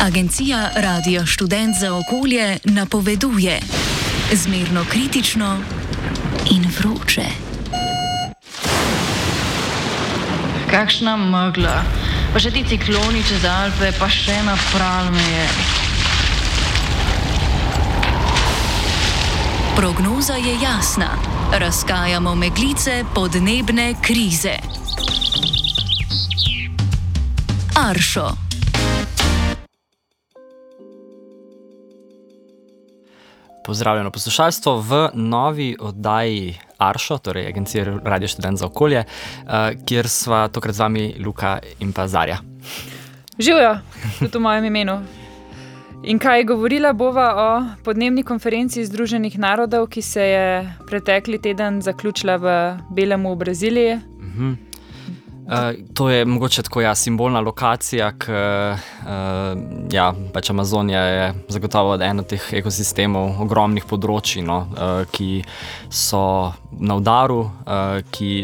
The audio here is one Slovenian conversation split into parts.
Agencija Radio Študent za okolje napoveduje zmerno kritično in vroče. Kakšna megla, pa še ti cikloni čez Alpe, pa še napral me je. Prognoza je jasna. Razkajamo meglice podnebne krize. Aršo. Pozdravljeno poslušalstvo v novi oddaji Aršo, torej Agencije Radio Študent za okolje, kjer sva tokrat z vami Luka in pa Zarja. Živjo, tudi v mojem imenu. In kaj govorila bova o podnebni konferenci Združenih narodov, ki se je pretekli teden zaključila v Belemu v Braziliji? To je mogoče tako simbolna lokacija, pač Amazonija je zagotovo eno teh ekosistemov, ogromnih področij, ki so na udaru,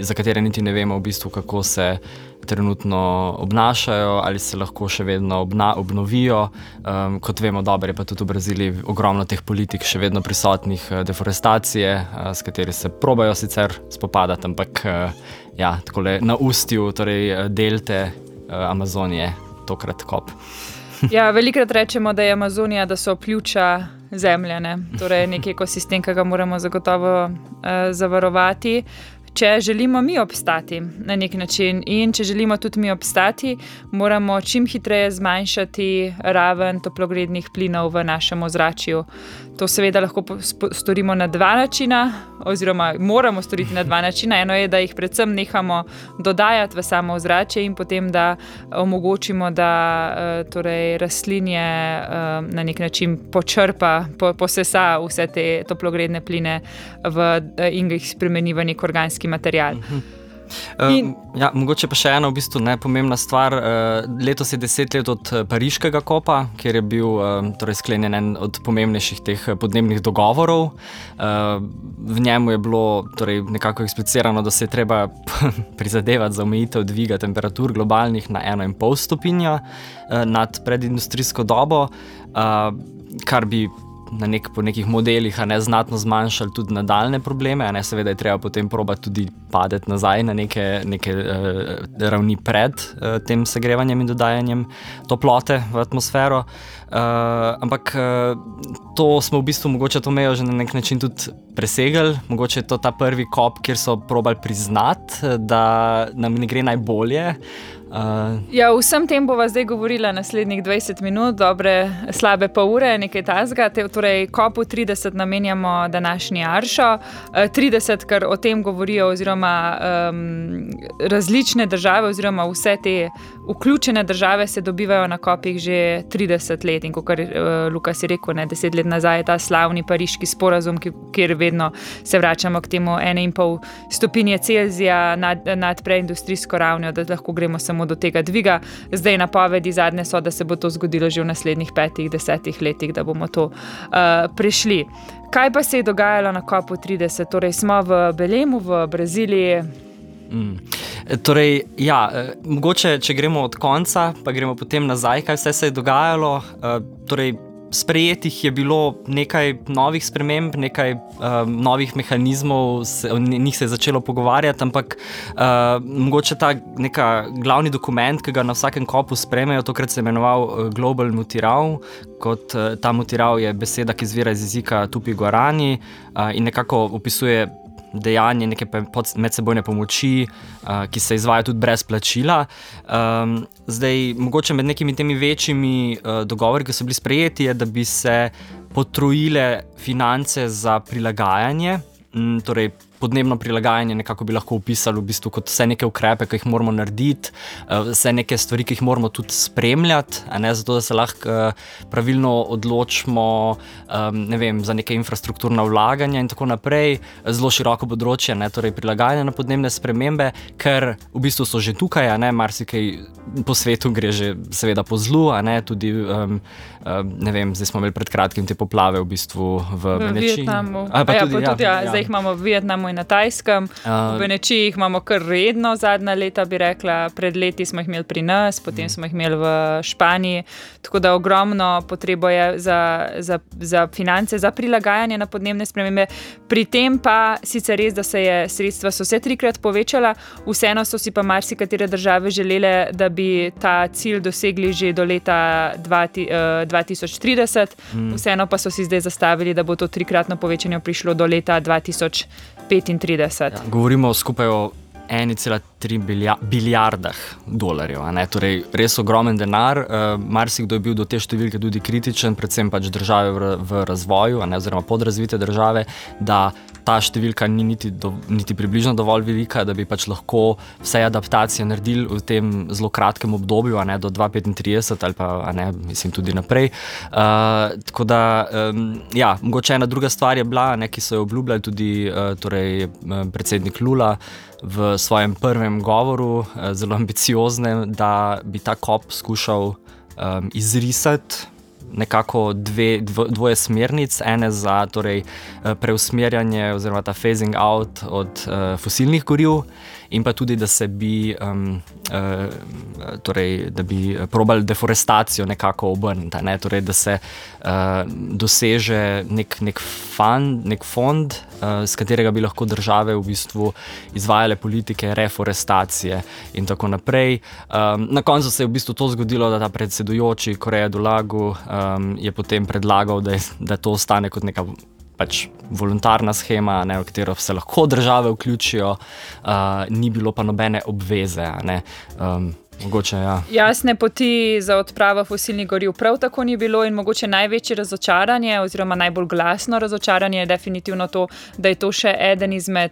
za katere niti ne vemo v bistvu, kako se trenutno obnašajo, ali se lahko še vedno obnovijo. Kot vemo, dobro je pa tudi v Braziliji ogromno teh politik še vedno prisotnih, deforestacije, s kateri se probajo sicer spopadati, ampak takole na ustju, torej delte Amazonije, tokrat kop. Ja, velikrat rečemo, da je Amazonija, da so pljuča zemlje, torej neki ekosistem, ki ga moramo zagotovo zavarovati. Če želimo mi obstati na nek način in če želimo tudi mi obstati, moramo čim hitreje zmanjšati raven toplogrednih plinov v našem ozračju. To seveda lahko storimo na dva načina, oziroma moramo storiti na dva načina. Eno je, da jih predvsem nehamo dodajati v samo ozračje in potem, da omogočimo, da torej rastlinje na nek način počrpa, posesa vse te toplogredne pline in jih spremeni v nek organski material. Mogoče pa še ena v bistvu nepomembna stvar. Letos je 10 let od Pariškega kopa, kjer je bil sklenjen en od pomembnejših teh podnebnih dogovorov. V njemu je bilo nekako eksplicirano, da se je treba prizadevati za omejitev dviga temperatur globalnih na 1,5 stopinja nad predindustrijsko dobo, kar bi po nekih modelih znatno zmanjšali tudi nadaljne probleme. Seveda je treba potem probati tudi padeti nazaj na neke ravni pred tem segrevanjem in dodajanjem toplote v atmosfero. Ampak to smo v bistvu mogoče to mejo že na nek način tudi presegli. Mogoče je to ta prvi kop, kjer so probali priznati, da nam ne gre najbolje. Vsem tem bova zdaj govorila naslednjih 20 minut, slabe pol ure, nekaj tazga. Torej, kopu 30 namenjamo današnji Aršo. 30, ker o tem govorijo oziroma različne države oziroma vse te vključene države se dobivajo na kopih že 30 let. In kot Luka si rekel, 10 let nazaj je ta slavni pariški sporazum, kjer vedno se vračamo k temu 1,5 stopinje Celzija nad preindustrijsko ravnjo, da lahko gremo samo do tega dviga. Zdaj napovedi zadnje so, da se bo to zgodilo že v naslednjih 5-10 letih, da bomo to prešli. Kaj pa se je dogajalo na kopu 30? Torej smo v Belemu, v Braziliji. Mogoče, če gremo od konca, pa gremo potem nazaj, kaj vse se je dogajalo. Sprejetih je bilo nekaj novih sprememb, nekaj novih mehanizmov, o njih se je začelo pogovarjati, ampak mogoče ta neka glavni dokument, ki ga na vsakem kopu sprejmejo, tokrat se je imenoval Global Mutirav. Kot ta mutirav je beseda, ki izvira iz jezika Tupi-Guarani in nekako opisuje dejanje neke medsebojne pomoči, ki se izvaja tudi brez plačila. Zdaj, mogoče med nekimi temi večjimi dogovori, ki so bili sprejeti, je, da bi se potrojile finance za prilagajanje, torej podnebno prilagajanje nekako bi lahko opisali v bistvu kot vse neke ukrepe, ki jih moramo narediti, vse neke stvari, ki jih moramo tudi spremljati, zato da se lahko pravilno odločimo, za neke infrastrukturna vlaganja in tako naprej. Zelo široko področje, torej prilagajanje na podnebne spremembe, ker v bistvu so že tukaj, marsikaj po svetu gre že seveda po zlu, tudi zdaj smo imeli pred kratkim te poplave v bistvu v Vietnamu. Zdaj jih imamo v Vietnamu na Tajskem, v Benečijih imamo kar redno zadnja leta, bi rekla, pred leti smo jih imeli pri nas, potem smo jih imeli v Španiji, tako da ogromno potrebo je za finance, za prilagajanje na podnebne spremembe. Pri tem pa sicer res, da sredstva so se 3-krat povečala, vseeno so si pa marsikatere države želele, da bi ta cilj dosegli že do leta 2030, vseeno pa so si zdaj zastavili, da bo to 3-kratno povečanje prišlo do leta 2035. Ja, govorimo skupaj o 1,3 bilijardah dolarjev. Torej, res ogromen denar. Marsikdo je bil do te številke tudi kritičen, predvsem pač države v razvoju, oziroma podrazvite države, da ta številka ni niti približno dovolj velika, da bi pač lahko vse adaptacije naredili v tem zelo kratkem obdobju, do 2035 ali pa mislim tudi naprej. Tako da, ja, mogoče ena druga stvar je bila, ki so jo obljubljali tudi predsednik Lula v svojem prvem govoru, zelo ambicioznem, da bi ta COP skušal izrisati nekako dvoje smernic, ene za preusmerjanje oziroma ta phasing out od fosilnih goriv in pa tudi, da se bi da bi probali deforestacijo nekako obrniti, torej, da se doseže nek fond, s katerega bi lahko države v bistvu izvajale politike reforestacije in tako naprej. Na koncu se je v bistvu to zgodilo, da ta predsedujoči Correa do Lago je potem predlagal, da to ostane kot neka pač voluntarna shema, v katero se lahko države vključijo, ni bilo pa nobene obveze. Mogoče, ja. Jasne poti za odpravo fosilnih goriv prav tako ni bilo in mogoče največje razočaranje oziroma najbolj glasno razočaranje je definitivno to, da je to še eden izmed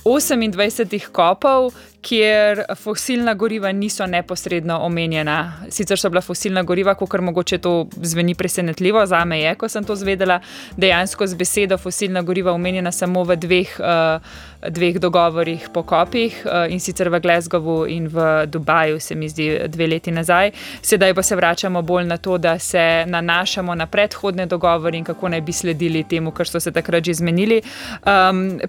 28 kopov, kjer fosilna goriva niso neposredno omenjena. Sicer so bila fosilna goriva, kakor mogoče to zveni presenetljivo, zame je, ko sem to zvedela, dejansko z besedo fosilna goriva omenjena samo v dveh dogovorih po kopih, in sicer v Glasgowu in v Dubaju, se mi zdi 2 leti nazaj. Sedaj pa se vračamo bolj na to, da se nanašamo na predhodne dogovore in kako naj bi sledili temu, kar so se takrat že zmenili.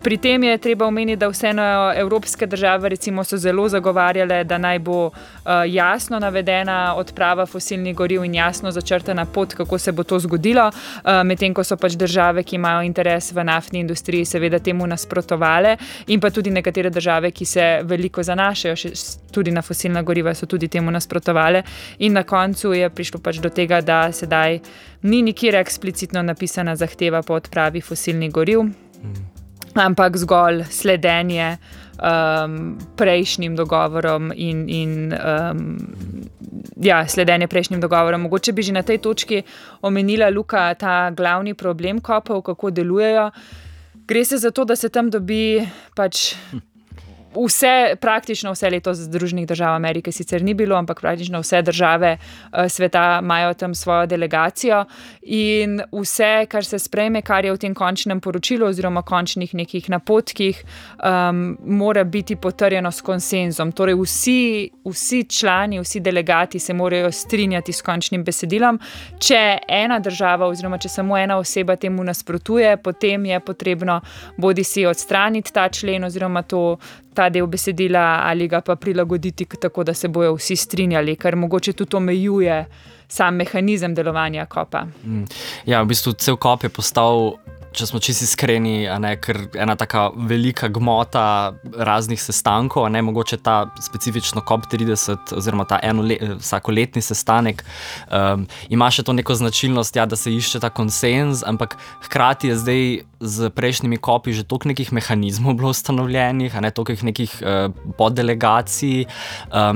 Pri tem je treba omeniti, da vseeno evropske države recimo so zelo zagovarjale, da naj bo jasno navedena odprava fosilnih goriv in jasno začrtana pot, kako se bo to zgodilo, medtem ko so pač države, ki imajo interes v naftni industriji, seveda temu nasprotovale, in pa tudi nekatere države, ki se veliko zanašajo tudi na fosilna goriva, so tudi temu nasprotovale in na koncu je prišlo pač do tega, da sedaj ni nikjer eksplicitno napisana zahteva po odpravi fosilnih goriv, ampak zgolj sledenje prejšnjim dogovorom in sledenje prejšnjim dogovorom. Mogoče bi že na tej točki omenila, Luka, ta glavni problem kopov, kako delujejo. Gre se za to, da se tam dobi pač praktično vse leto Združenih držav Amerike sicer ni bilo, ampak praktično vse države sveta imajo tam svojo delegacijo in vse, kar se sprejme, kar je v tem končnem poročilu oziroma končnih nekih napotkih, mora biti potrjeno s konsenzom. Torej vsi člani, vsi delegati se morajo strinjati s končnim besedilom. Če ena država oziroma če samo ena oseba temu nasprotuje, potem je potrebno bodisi odstraniti ta člen oziroma ta del besedila ali ga pa prilagoditi tako, da se bojo vsi strinjali, kar mogoče tudi omejuje sam mehanizem delovanja kopa. Ja, v bistvu cel kop je postal, če smo čisto iskreni, ker ena taka velika gmota raznih sestankov, mogoče ta specifično COP30 oziroma ta vsakoletni sestanek ima še to neko značilnost, da se išče ta konsenz, ampak hkrati je zdaj z prejšnjimi kopi že toliko nekih mehanizmov bilo ustanovljenih, toliko nekih poddelegacij,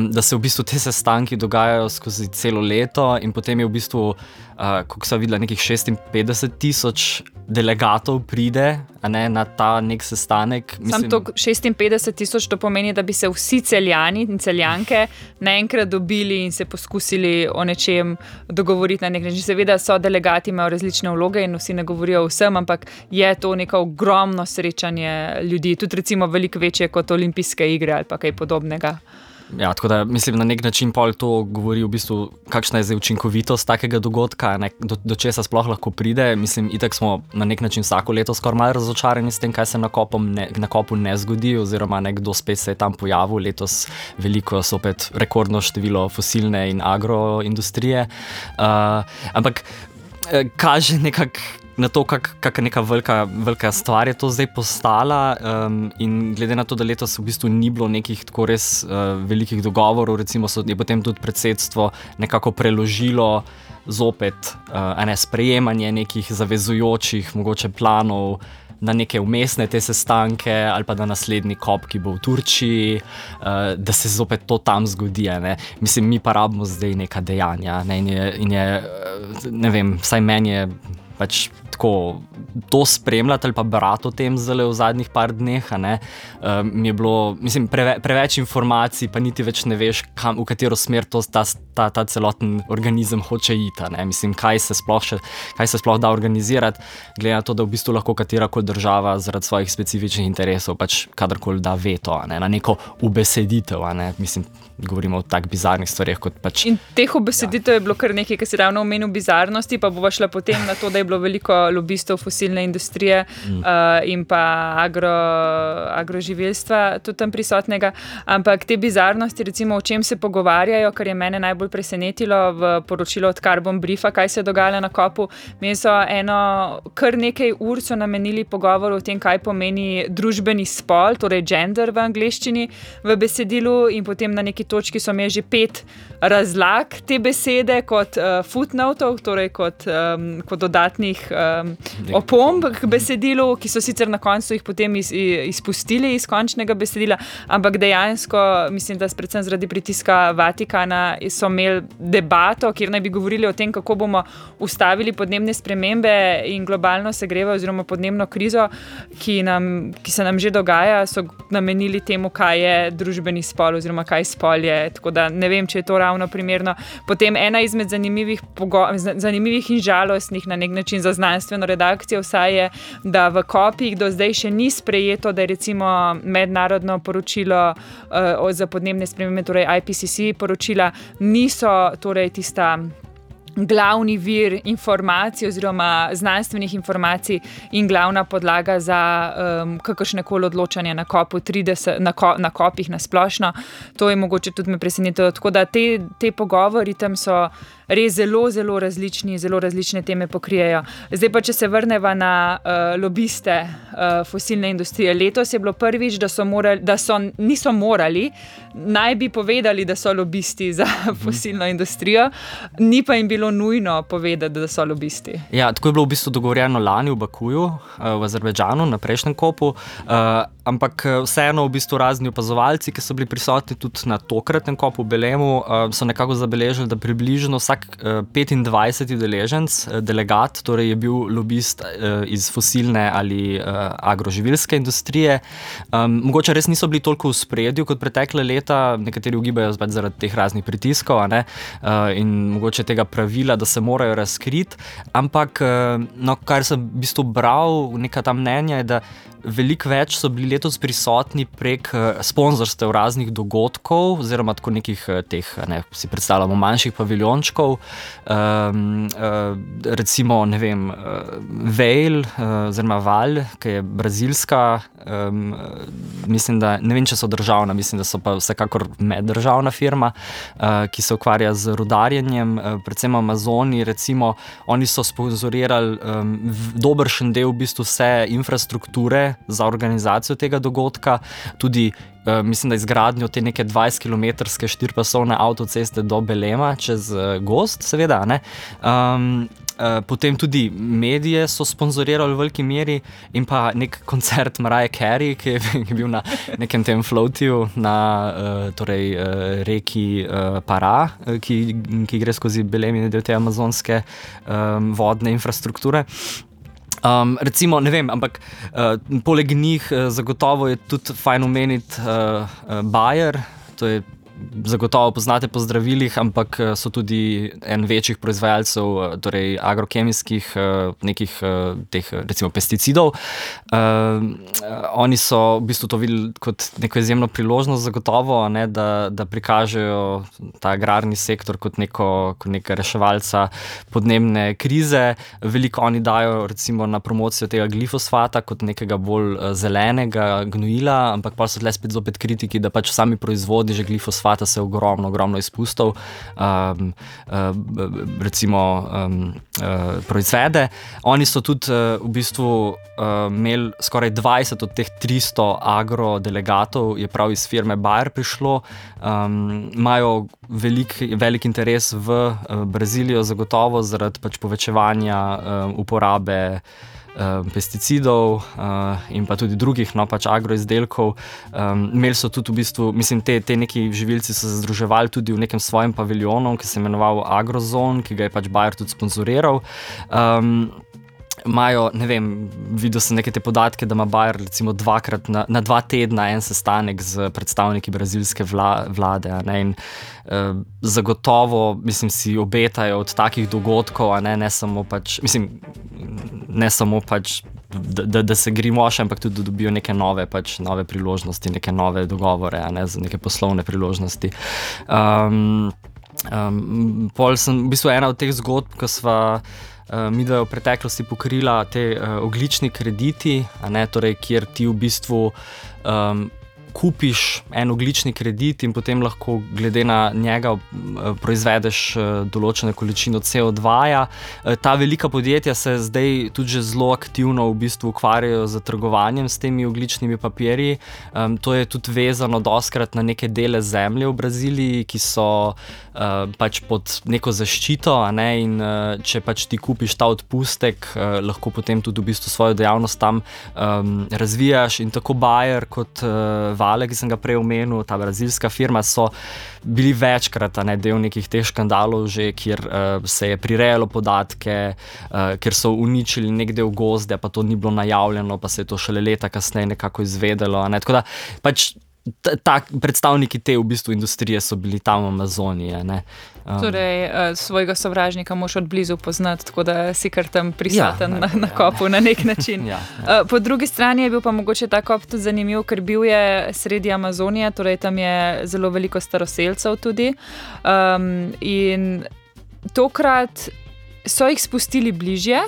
da se v bistvu te sestanki dogajajo skozi celo leto in potem je v bistvu, kako sem videla, nekih 56,000 delegatov pride na ta nek sestanek. Sam to 56,000, to pomeni, da bi se vsi Celjani in Celjanke naenkrat dobili in se poskusili o nečem dogovoriti na nek način. Seveda so delegati, imajo različne vloge in vsi ne govorijo o vsem, ampak je to neko ogromno srečanje ljudi, tudi recimo veliko večje kot olimpijske igre ali pa kaj podobnega. Ja, tako da mislim, na nek način pol to govori v bistvu, kakšna je zdaj učinkovitost takega dogodka, do česa sploh lahko pride. Mislim, itak smo na nek način vsako leto skoraj malo razočarani s tem, kaj se na kopu ne zgodi, oziroma nekdo spet se je tam pojavil, letos veliko sopet rekordno število fosilne in agroindustrije. Ampak kaže nekako na to, kak neka velika stvar je to zdaj postala, in glede na to, da letos v bistvu ni bilo nekih tako res velikih dogovorov, recimo je potem tudi predsedstvo nekako preložilo zopet sprejemanje nekih zavezujočih mogoče planov na neke vmesne te sestanke ali pa na naslednji COP, ki bo v Turčiji, da se zopet to tam zgodi. Ne? Mislim, mi pa rabimo zdaj neka dejanja, ne? In je, ne vem, vsaj meni je pač tako to spremljati ali pa brati o tem zdaj v zadnjih par dneh, mi je bilo, mislim, preveč informacij, pa niti več ne veš, v katero smer ta celoten organizem hoče iti. Mislim, kaj se sploh da organizirati, glede na to, da v bistvu lahko katerakoli država zaradi svojih specifičnih interesov pač kadarkoli da veto, na neko ubeseditev, mislim, govorimo o tak bizarnih stvarih kot pač. In teh ubeseditev je bilo kar nekaj, ki si ravno omenil bizarnosti, pa bova šla potem na to, da je bilo veliko lobistov fosilne industrije in pa agroživilstva tudi tam prisotnega, ampak te bizarnosti, recimo o čem se pogovarjajo, kar je mene najbolj presenetilo v poročilu od Carbon Briefa, kaj se je dogajalo na kopu. Meni so kar nekaj ur so namenili pogovoru o tem, kaj pomeni družbeni spol, torej gender v angleščini v besedilu, in potem na neki točki so imeli že 5 razlag te besede kot footnotov, torej kot dodatnih opomb k besedilu, ki so sicer na koncu jih potem izpustili iz končnega besedila, ampak dejansko mislim, da predvsem zaradi pritiska Vatikana so imeli debato, kjer naj bi govorili o tem, kako bomo ustavili podnebne spremembe in globalno segrevanje oziroma podnebno krizo, ki se nam že dogaja, so namenili temu, kaj je družbeni spol oziroma kaj spol je, tako da ne vem, če je to ravno primerno. Potem ena izmed zanimivih in žalostnih na nek način za znanstveno redakcijo vsaj je, da v kopih do zdaj še ni sprejeto, da je recimo mednarodno poročilo za podnebne spremembe, torej IPCC poročila, niso torej tista glavni vir informacij oziroma znanstvenih informacij in glavna podlaga za kakršnekoli odločanje na kopu 30, na kopih na splošno. To je mogoče tudi me presenetilo. Tako da te pogovori tam so res zelo, zelo različni, zelo različne teme pokrijejo. Zdaj pa, če se vrneva na lobiste fosilne industrije. Letos je bilo prvič, niso morali, naj bi povedali, da so lobisti za fosilno industrijo, ni pa jim bilo nujno povedati, da so lobisti. Ja, tako je bilo v bistvu dogovorjeno lani v Bakuju, v Azerbajdžanu, na prejšnjem kopu, ampak vseeno v bistvu razni opazovalci, ki so bili prisotni tudi na tokratnem kopu v Belemu, so nekako zabeležili, da približno vsak 25 udeleženc, delegat, torej je bil lobist iz fosilne ali agroživilske industrije. Mogoče res niso bili toliko v spredju kot pretekle leta, nekateri ugibajo zaradi teh raznih pritiskov, in mogoče tega pravila, da se morajo razkriti, ampak kar sem v bistvu bral, neka ta mnenja je, da veliko več so bili letos prisotni prek sponzorstev raznih dogodkov, oziroma tako nekih teh, si predstavljamo, manjših paviljončkov, recimo, ne vem, Veil, oziroma Val, ki je brazilska, mislim, da, ne vem, če so državna, mislim, da so pa vsekakor meddržavna firma, ki se ukvarja z rudarjenjem, predvsem Amazoni, recimo, oni so sponzorirali dobršen del v bistvu vse infrastrukture za organizacijo tega dogodka, tudi mislim, da izgradnjo te neke 20-kilometrske 4-pasovne avtoceste do Belema čez gozd, seveda, potem tudi medije so sponzorirali v veliki meri in pa nek koncert Mariah Carey, ki je bil na nekem tem floatiju na reki Para, ki gre skozi Belem in del te amazonske vodne infrastrukture. Recimo, ne vem, ampak poleg njih zagotovo je tudi fajn omeniti Bayer, to je zagotovo poznate po zdravilih, ampak so tudi en večjih proizvajalcev, torej agrokemijskih nekih teh recimo pesticidov. Oni so v bistvu to videli kot neko izjemno priložnost zagotovo, ne, da prikažejo ta agrarni sektor kot neka reševalca podnebne krize. Veliko oni dajo recimo na promocijo tega glifosfata kot nekega bolj zelenega gnojila, ampak pa so tle spet kritiki, da pač v sami proizvodnji že glifosfata se ogromno izpustov proizvede. Oni so tudi v bistvu imeli skoraj 20 od teh 300 agrodelegatov, je prav iz firme Bayer prišlo. Imajo velik interes v Brazilijo zagotovo zaradi pač povečevanja uporabe pesticidov in pa tudi drugih pač agroizdelkov. Imeli so tudi v bistvu, mislim, te neki živilci so se združevali tudi v nekem svojem paviljonu, ki se je imenoval Agrozone, ki ga je pač Bayer tudi sponzoriral. Imajo, ne vem, videl sem neke te podatke, da ima Bayer recimo na 2 tedna en sestanek z predstavniki brazilske vlade, ne, in zagotovo, mislim, si obetajo od takih dogodkov, ne samo pač, mislim, ne samo pač, da se grimoš, ampak tudi da dobijo neke nove priložnosti, neke nove dogovore, ne, za neke poslovne priložnosti. Pol sem, v bistvu ena od teh zgodb, ko sva mi da je v preteklosti pokrila te ogljični krediti, torej, kjer ti v bistvu kupiš en ogljični kredit in potem lahko glede na njega proizvedeš določeno količino CO2-ja. Ta velika podjetja se zdaj tudi že zelo aktivno v bistvu ukvarjajo z trgovanjem s temi ogljičnimi papirji. To je tudi vezano dostikrat na neke dele zemlje v Braziliji, ki so pač pod neko zaščito, in če pač ti kupiš ta odpustek, lahko potem tudi v bistvu svojo dejavnost tam razvijaš, in tako Bayer kot Vale, ki sem ga prej omenil, ta brazilska firma, so bili večkrat del nekih teh škandalov že, kjer se je prirejalo podatke, kjer so uničili nek del gozda, pa to ni bilo najavljeno, pa se je to šele leta kasneje nekako izvedelo. Tako da pač predstavniki te v bistvu industrije so bili tam v Amazoniji. Torej, svojega sovražnika moš od blizu poznati, tako da si kar tam prisoten na kopu na nek način. Po drugi strani je bil pa mogoče ta kop tudi zanimiv, ker bil je sredi Amazonije, torej tam je zelo veliko staroselcev tudi. In tokrat so jih spustili bližje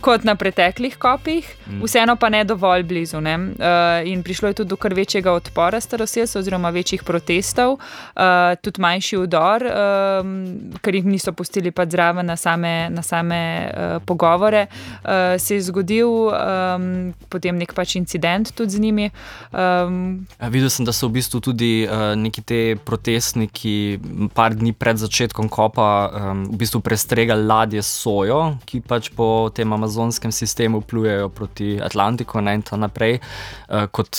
kot na preteklih kopih, vseeno pa ne dovolj blizu. In prišlo je tudi do kar večjega odpora staroselcev oziroma večjih protestov, tudi manjši vdor, ker jih niso pustili pa zraven na same pogovore. Se je zgodil potem nek pač incident tudi z njimi. Videl sem, da so v bistvu tudi neki te protestniki par dni pred začetkom kopa v bistvu prestregali ladje s sojo, ki pač po tem amazonskem sistemu plujejo proti Atlantiku, in to naprej, kot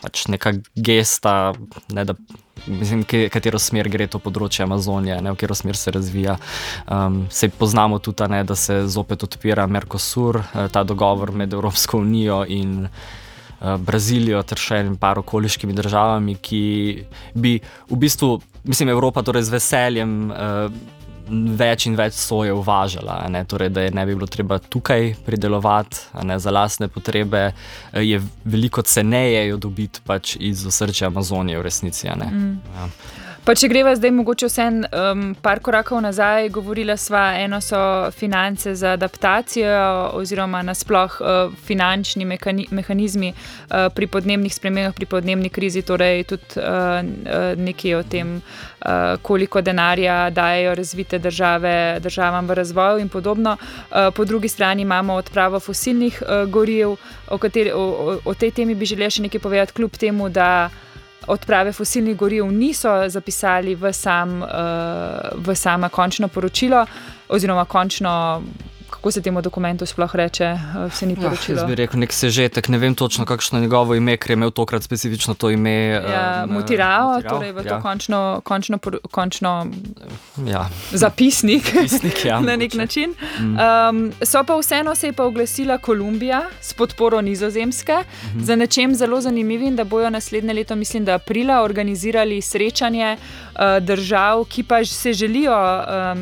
pač neka gesta, da mislim, katero smer gre to področje Amazonije, v katero smer se razvija. Sej poznamo tudi, da se zopet odpira Mercosur, ta dogovor med Evropsko unijo in Brazilijo ter še par okoliškimi državami, ki bi v bistvu, mislim, Evropa torej z veseljem več in več soje uvažala, torej, da je ne bi bilo treba tukaj pridelovati, za lastne potrebe, je veliko ceneje jo dobiti pač iz osrčja Amazonije v resnici. Pa če greva zdaj mogoče par korakov nazaj, govorila sva, eno so finance za adaptacijo oziroma nasploh finančni mehanizmi pri podnebnih spremembah, pri podnebni krizi, torej tudi nekaj o tem, koliko denarja dajejo razvite državam v razvoju in podobno. Po drugi strani imamo odpravo fosilnih goriv, o tej temi bi želela še nekaj povedati, kljub temu, da odprave fosilnih goriv niso zapisali v samo končno poročilo oziroma končno kako se temu dokumentu sploh reče, se ni poročilo. Jaz bi rekel nek sežetek, ne vem točno, kakšno je njegovo ime, ker je imel tokrat specifično to ime. Mutirao, torej v to končno zapisnik na nek način. So pa vseeno se je pa oglasila Kolumbija s podporo Nizozemske za nečem zelo zanimivim, da bojo naslednje leto, mislim, da aprila, organizirali srečanje držav, ki pa se želijo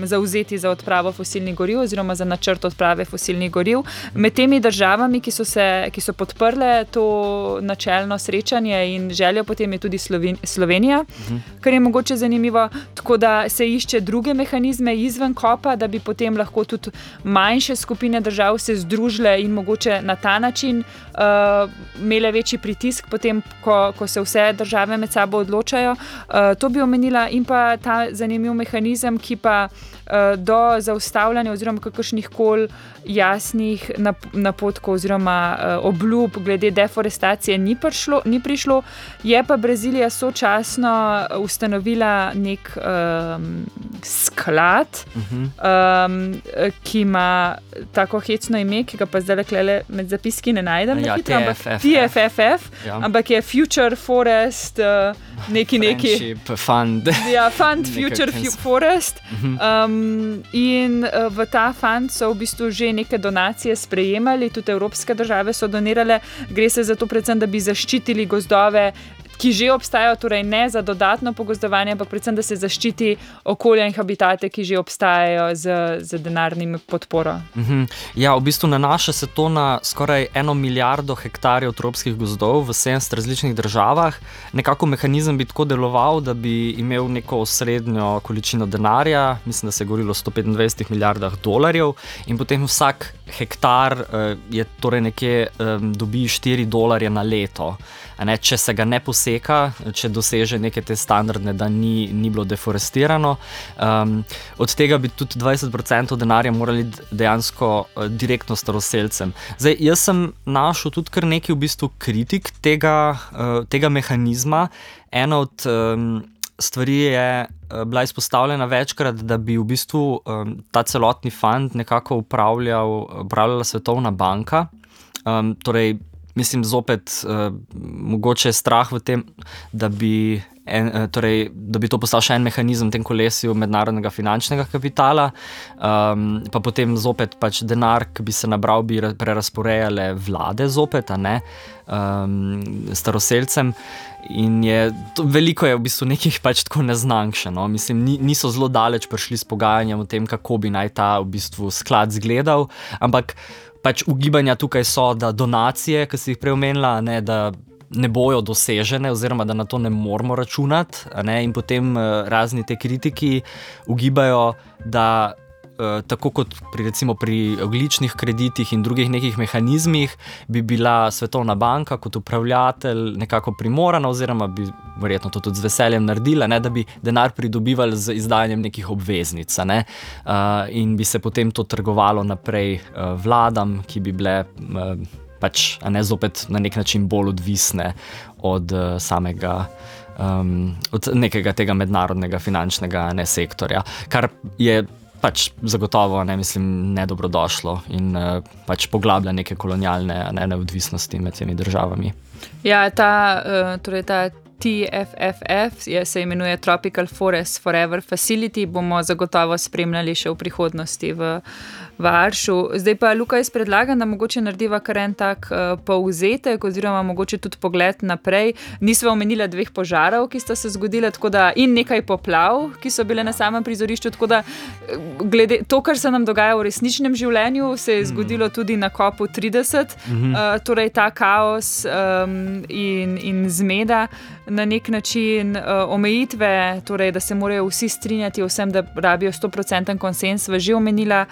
zauzeti za odpravo fosilnih goriv oziroma za načrt odprave fosilnih goriv. Med temi državami, ki so podprle to načelno srečanje in željo potem je tudi Slovenija, kar je mogoče zanimivo, tako da se išče druge mehanizme izven kopa, da bi potem lahko tudi manjše skupine držav se združile in mogoče na ta način imele večji pritisk potem, ko se vse države med sabo odločajo. To bi omenila in pa ta zanimiv mehanizem, ki pa do zaustavljanja oziroma kakršnih koli jasnih napotkov oziroma obljub glede deforestacije ni prišlo. Je pa Brazilija sočasno ustanovila nek sklad, ki ima tako hecno ime, ki ga pa zdaj lekle med zapiski ne najdem. TFFF, ampak je Future Forest neki. Friendship Fund. Fund Future Forest. In v ta fund so v bistvu že neke donacije sprejemali, tudi evropske države so donirale. Gre se za to predvsem, da bi zaščitili gozdove, ki že obstajajo, torej ne za dodatno pogozdovanje, ampak predvsem, da se zaščiti okolja in habitate, ki že obstajajo z denarnim podporo. Ja, v bistvu nanaša se to na skoraj 1 milijardo hektarjev tropskih gozdov v 70 različnih državah. Nekako mehanizem bi tako deloval, da bi imel neko srednjo količino denarja, mislim, da se je govorilo o 125 milijardah dolarjev in potem vsak hektar je torej nekje dobi $4 na leto. Če se ga ne poseka, če doseže neke te standardne, da ni bilo deforestirano. Od tega bi tudi 20% denarja morali dejansko direktno staroselcem. Zdaj, jaz sem našel tudi kar nekaj v bistvu kritik tega mehanizma. Ena od stvari je bila izpostavljena večkrat, da bi v bistvu ta celotni fund nekako upravljala Svetovna banka. Torej, mislim, zopet mogoče je strah v tem, da bi to postal še en mehanizem v tem kolesju mednarodnega finančnega kapitala, pa potem zopet pač denar, ki bi se nabral, bi prerasporejale vlade zopet, a ne staroselcem. In veliko je v bistvu nekih pač tako neznank še, no. Mislim, niso zelo daleč prišli s pogajanjem o tem, kako bi naj ta v bistvu sklad zgledal, ampak pač ugibanja tukaj so, da donacije, ki si jih prej omenila, da ne bojo dosežene oziroma da na to ne moramo računati, in potem razni te kritiki ugibajo, da tako kot recimo pri ogljičnih kreditih in drugih nekih mehanizmih bi bila Svetovna banka kot upravljatelj nekako primorana oziroma bi verjetno to tudi z veseljem naredila, da bi denar pridobivali z izdajanjem nekih obveznic, in bi se potem to trgovalo naprej vladam, ki bi bile pač zopet na nek način bolj odvisne od samega od nekega tega mednarodnega finančnega sektorja, kar je pač zagotovo, mislim, nedobrodošlo in pač poglablja neke kolonialne neodvisnosti med temi državami. Ja, ta TFFF se imenuje Tropical Forest Forever Facility, bomo zagotovo spremljali še v prihodnosti v Aršu. Zdaj pa, Luka, jaz predlagam, da mogoče narediva kar en tak povzetek oziroma mogoče tudi pogled naprej. Nisva omenila 2 požarov, ki sta se zgodila, tako da in nekaj poplav, ki so bile na samem prizorišču, tako da glede to, kar se nam dogaja v resničnem življenju, se je zgodilo tudi na kopu 30, torej ta kaos in zmeda, na nek način omejitve, torej da se morajo vsi strinjati o vsem, da rabijo 100% konsens, sva že omenila.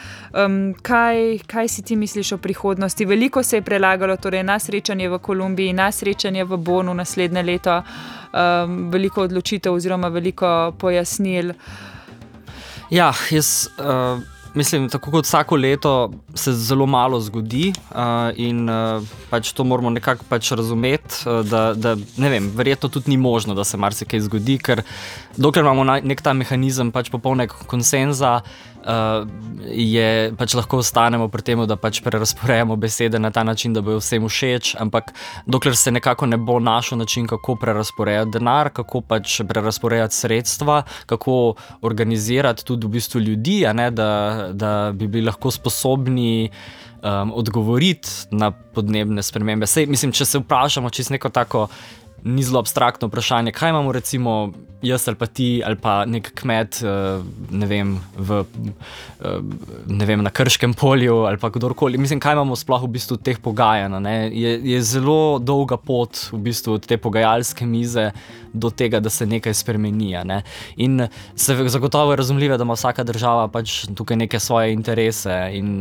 Kaj si ti misliš o prihodnosti? Veliko se je prelagalo, torej na srečanje v Kolumbiji, na srečanje v Bonu naslednje leto, veliko odločitev oziroma veliko pojasnil. Ja, jaz mislim, tako kot vsako leto se zelo malo zgodi in pač to moramo nekako pač razumeti, da ne vem, verjetno tudi ni možno, da se marsikaj zgodi, ker dokler imamo nek ta mehanizem pač popolnega konsenza, je pač lahko ostanemo pri temu, da pač prerasporejamo besede na ta način, da bojo vsem všeč, ampak dokler se nekako ne bo našel način, kako prerasporejati denar, kako pač prerasporejati sredstva, kako organizirati tudi v bistvu ljudi, a ne, da bi bili lahko sposobni odgovoriti na podnebne spremembe. Sej, mislim, če se vprašamo čisto neko tako ni zelo abstraktno vprašanje, kaj imamo recimo jaz ali pa ti ali pa nek kmet, ne vem, na Krškem polju ali pa kdorkoli. Mislim, kaj imamo sploh v bistvu teh pogajanj, ne? Je zelo dolga pot v bistvu od te pogajalske mize do tega, da se nekaj spremeni, ne? In se zagotovo je razumljivo, da ima vsaka država pač tukaj neke svoje interese in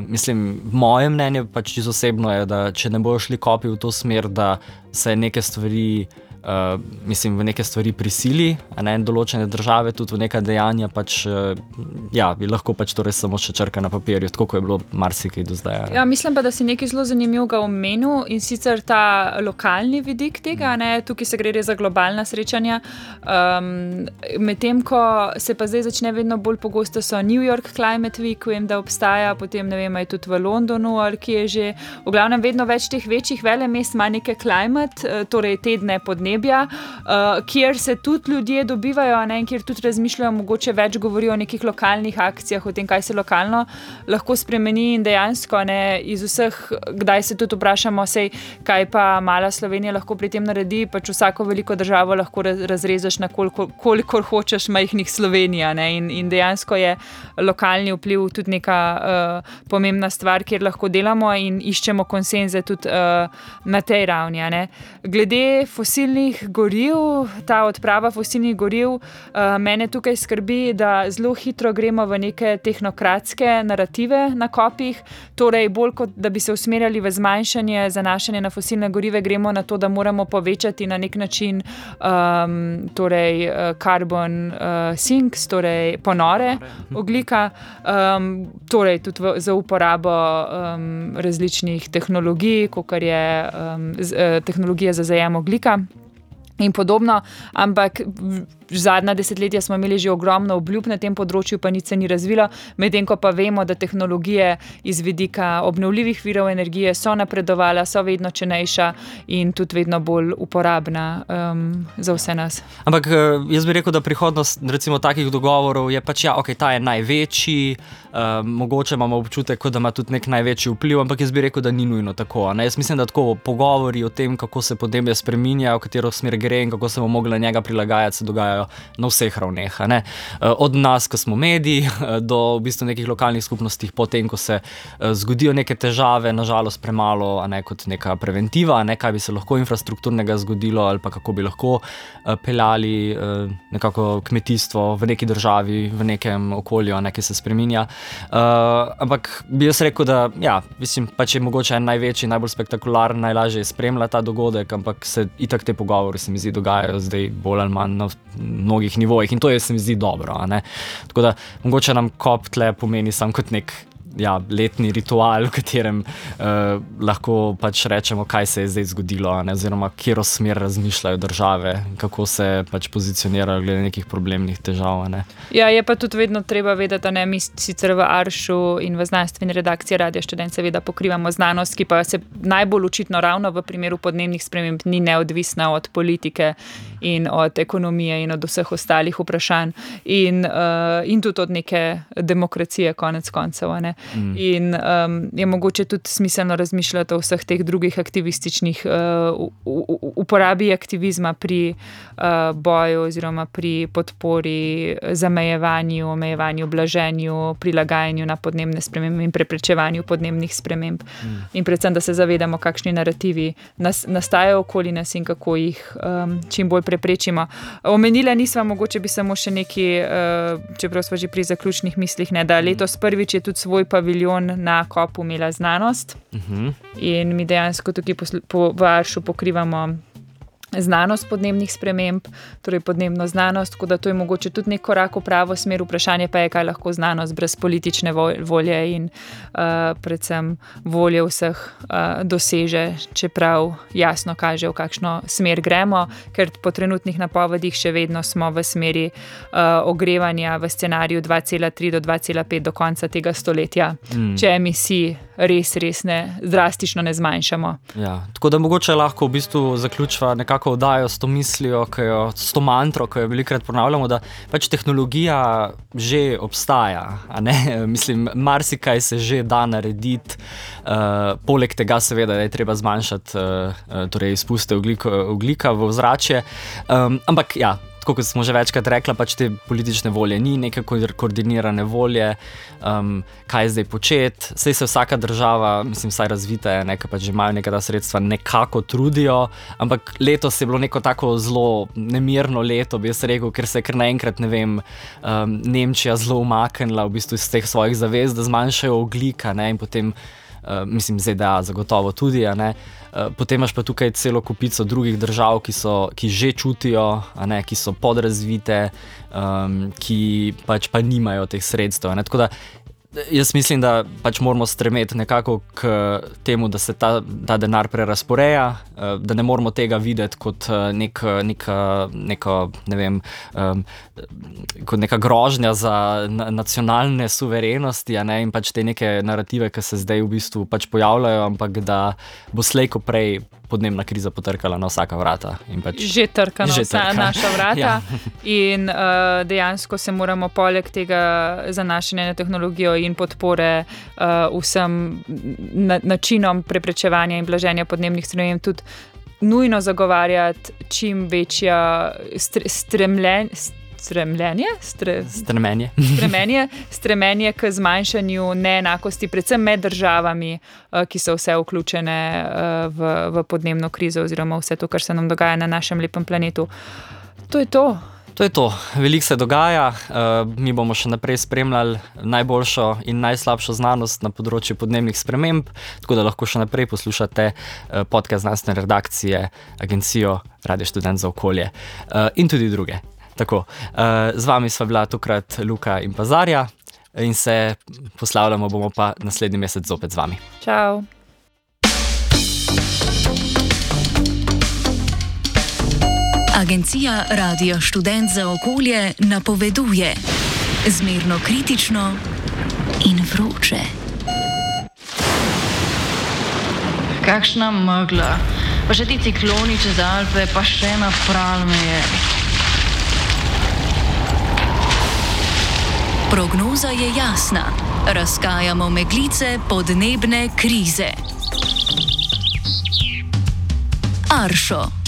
mislim, moje mnenje pač čisto osebno je, da če ne bojo šli kopi v to smer, da se neke stvari v neke stvari prisili, a ne, določene države tudi v neka dejanja pač, bi lahko pač torej samo še črka na papirju, tako kot je bilo marsikaj do zdaj. Ja, mislim pa, da si nekaj zelo zanimivega omenil in sicer ta lokalni vidik tega, ne, tukaj se gre res za globalna srečanja, medtem ko se pa zdaj začne vedno bolj pogosto so New York Climate Week, vem, da obstaja, potem ne vem, je tudi v Londonu ali kje že, v glavnem vedno več teh večjih velemest ima neke climate, torej tedne podnebja, kjer se tudi ljudje dobivajo, ne, in kjer tudi razmišljajo, mogoče več govorijo o nekih lokalnih akcijah, o tem, kaj se lokalno lahko spremeni in dejansko, ne, iz vseh, kdaj se tudi vprašamo, kaj pa mala Slovenija lahko pri tem naredi, pač vsako veliko državo lahko razrezaš na kolikor hočeš majhnih Slovenija, ne, in dejansko je lokalni vpliv tudi neka pomembna stvar, kjer lahko delamo in iščemo konsenze tudi na tej ravni, ne. Glede fosilnih goriv, ta odprava fosilnih goriv, mene tukaj skrbi, da zelo hitro gremo v neke tehnokratske narative na kopih, torej bolj kot da bi se usmerjali v zmanjšanje, zanašanje na fosilne gorive, gremo na to, da moramo povečati na nek način torej carbon sinks, torej ponore ogljika, torej tudi za uporabo različnih tehnologij, kakor je tehnologija za zajem ogljika in podobno, ampak zadnja desetletja smo imeli že ogromno obljub na tem področju, pa nič se ni razvilo, medtem ko pa vemo, da tehnologije iz vidika obnovljivih virov energije so napredovala, so vedno cenejša in tudi vedno bolj uporabna za vse nas. Ampak jaz bi rekel, da prihodnost recimo takih dogovorov je pač, ta je največji, mogoče imamo občutek, da ima tudi nek največji vpliv, ampak jaz bi rekel, da ni nujno tako, ne? Jaz mislim, da tako pogovori o tem, kako se podnebje spreminja, v katero smer gre in kako se bomo mogli njega prilagajati, se dogajajo na vseh ravneh, ne? Od nas, ko smo mediji, do v bistvu nekih lokalnih skupnostih, potem, ko se zgodijo neke težave, nažalost premalo, a ne, kot neka preventiva, ne, kaj bi se lahko infrastrukturnega zgodilo ali pa kako bi lahko peljali nekako kmetijstvo v neki državi, v nekem okolju, ne, ki se spreminja. Ampak bi jaz rekel, da mislim, pač je mogoče največji, najbolj spektakularen, najlažje spremlja ta dogodek, ampak se itak te pogovori se mi zdi dogajajo zdaj bolj ali manj na mnogih nivojih in to je, se mi zdi, dobro, a ne. Tako da mogoče nam COP tle pomeni sam kot nek letni ritual, v katerem lahko pač rečemo, kaj se je zdaj zgodilo, ne, oziroma katero smer razmišljajo države, kako se pač pozicionirajo glede nekih problemnih težav, ne. Ja, je pa tudi vedno treba vedeti, ne, mi sicer v Aršu in v znanstveni redakciji Radia Študent seveda pokrivamo znanost, ki pa se najbolj očitno ravno v primeru podnebnih sprememb ni neodvisna od politike in od ekonomije in od vseh ostalih vprašanj in tudi od neke demokracije konec koncev, ne. In je mogoče tudi smiselno razmišljati o vseh teh drugih aktivističnih uporabi aktivizma pri boju oziroma pri podpori zamejevanju, omejevanju, blaženju, prilagajanju na podnebne spremembe in preprečevanju podnebnih sprememb. In predvsem, da se zavedamo, kakšni narativi nastajajo okoli nas in kako jih čim bolj preprečimo. Omenila nisva, mogoče bi samo še neki, čeprav smo že pri zaključnih mislih, ne, da letos prvič je tudi svoj paviljon na COP-u imela znanost in mi dejansko tukaj v Aršu pokrivamo znanost podnebnih sprememb, torej podnebno znanost, tako da to je mogoče tudi nek korak v pravo smer. Vprašanje pa je, kaj lahko znanost brez politične volje in predvsem volje vseh doseže, čeprav jasno kaže, v kakšno smer gremo, ker po trenutnih napovedih še vedno smo v smeri ogrevanja v scenariju 2,3 do 2,5 do konca tega stoletja, če emisij res ne, drastično ne zmanjšamo. Ja, tako da mogoče lahko v bistvu zaključiva nekako oddajo s to mislijo, s to mantro, ki jo velikokrat ponavljamo, da pač tehnologija že obstaja, a ne? Mislim, marsikaj se že da narediti, poleg tega seveda, da je treba zmanjšati torej izpuste ogljika v ozračje, ampak ja, tako kot smo že večkrat rekla, pač te politične volje ni, neke koordinirane volje, kaj zdaj početi. Saj se vsaka država, mislim, vsaj razvita je, ki pač že imajo neka ta sredstva, nekako trudijo, ampak letos je bilo neko tako zelo nemirno leto, bi jaz rekel, ker se je kar naenkrat, ne vem, Nemčija zelo umaknila v bistvu iz teh svojih zavez, da zmanjšajo ogljika, ne, in potem mislim, ZDA zagotovo tudi, a ne. Potem imaš pa tukaj celo kupico drugih držav, ki že čutijo, a ne, ki so podrazvite, ki pač pa nimajo teh sredstev, a ne. Tako da jaz mislim, da pač moramo stremeti nekako k temu, da se ta denar prerazporeja, da ne moramo tega videti kot kot neka grožnja za nacionalne suverenosti, a ne, in pač te neke narative, ki se zdaj v bistvu pač pojavljajo, ampak da bo slej ko prej podnebna kriza potrkala na vsaka vrata. In pač že trka na vsa naša vrata. Ja. In dejansko se moramo poleg tega zanašanja na tehnologijo in podpore vsem načinom preprečevanja in blaženja podnebnih sprememb tudi nujno zagovarjati čim večja stremenje k zmanjšanju neenakosti, predvsem med državami, ki so vse vključene v podnebno krizo oziroma vse to, kar se nam dogaja na našem lepem planetu. To je to. To je to. Veliko se dogaja. Mi bomo še naprej spremljali najboljšo in najslabšo znanost na področju podnebnih sprememb, tako da lahko še naprej poslušate podcast znanstvene redakcije, agencijo Radio Študent za okolje in tudi druge. Tako, z vami sva bila tokrat Luka in pa Zarja in se poslavljamo bomo pa naslednji mesec zopet z vami. Čau. Agencija Radio Študent za okolje napoveduje zmerno kritično in vroče. Kakšna megla, pa še ti cikloni čez Alpe, pa še napral me je. Prognoza je jasna. Razkajamo meglice podnebne krize. Aršo.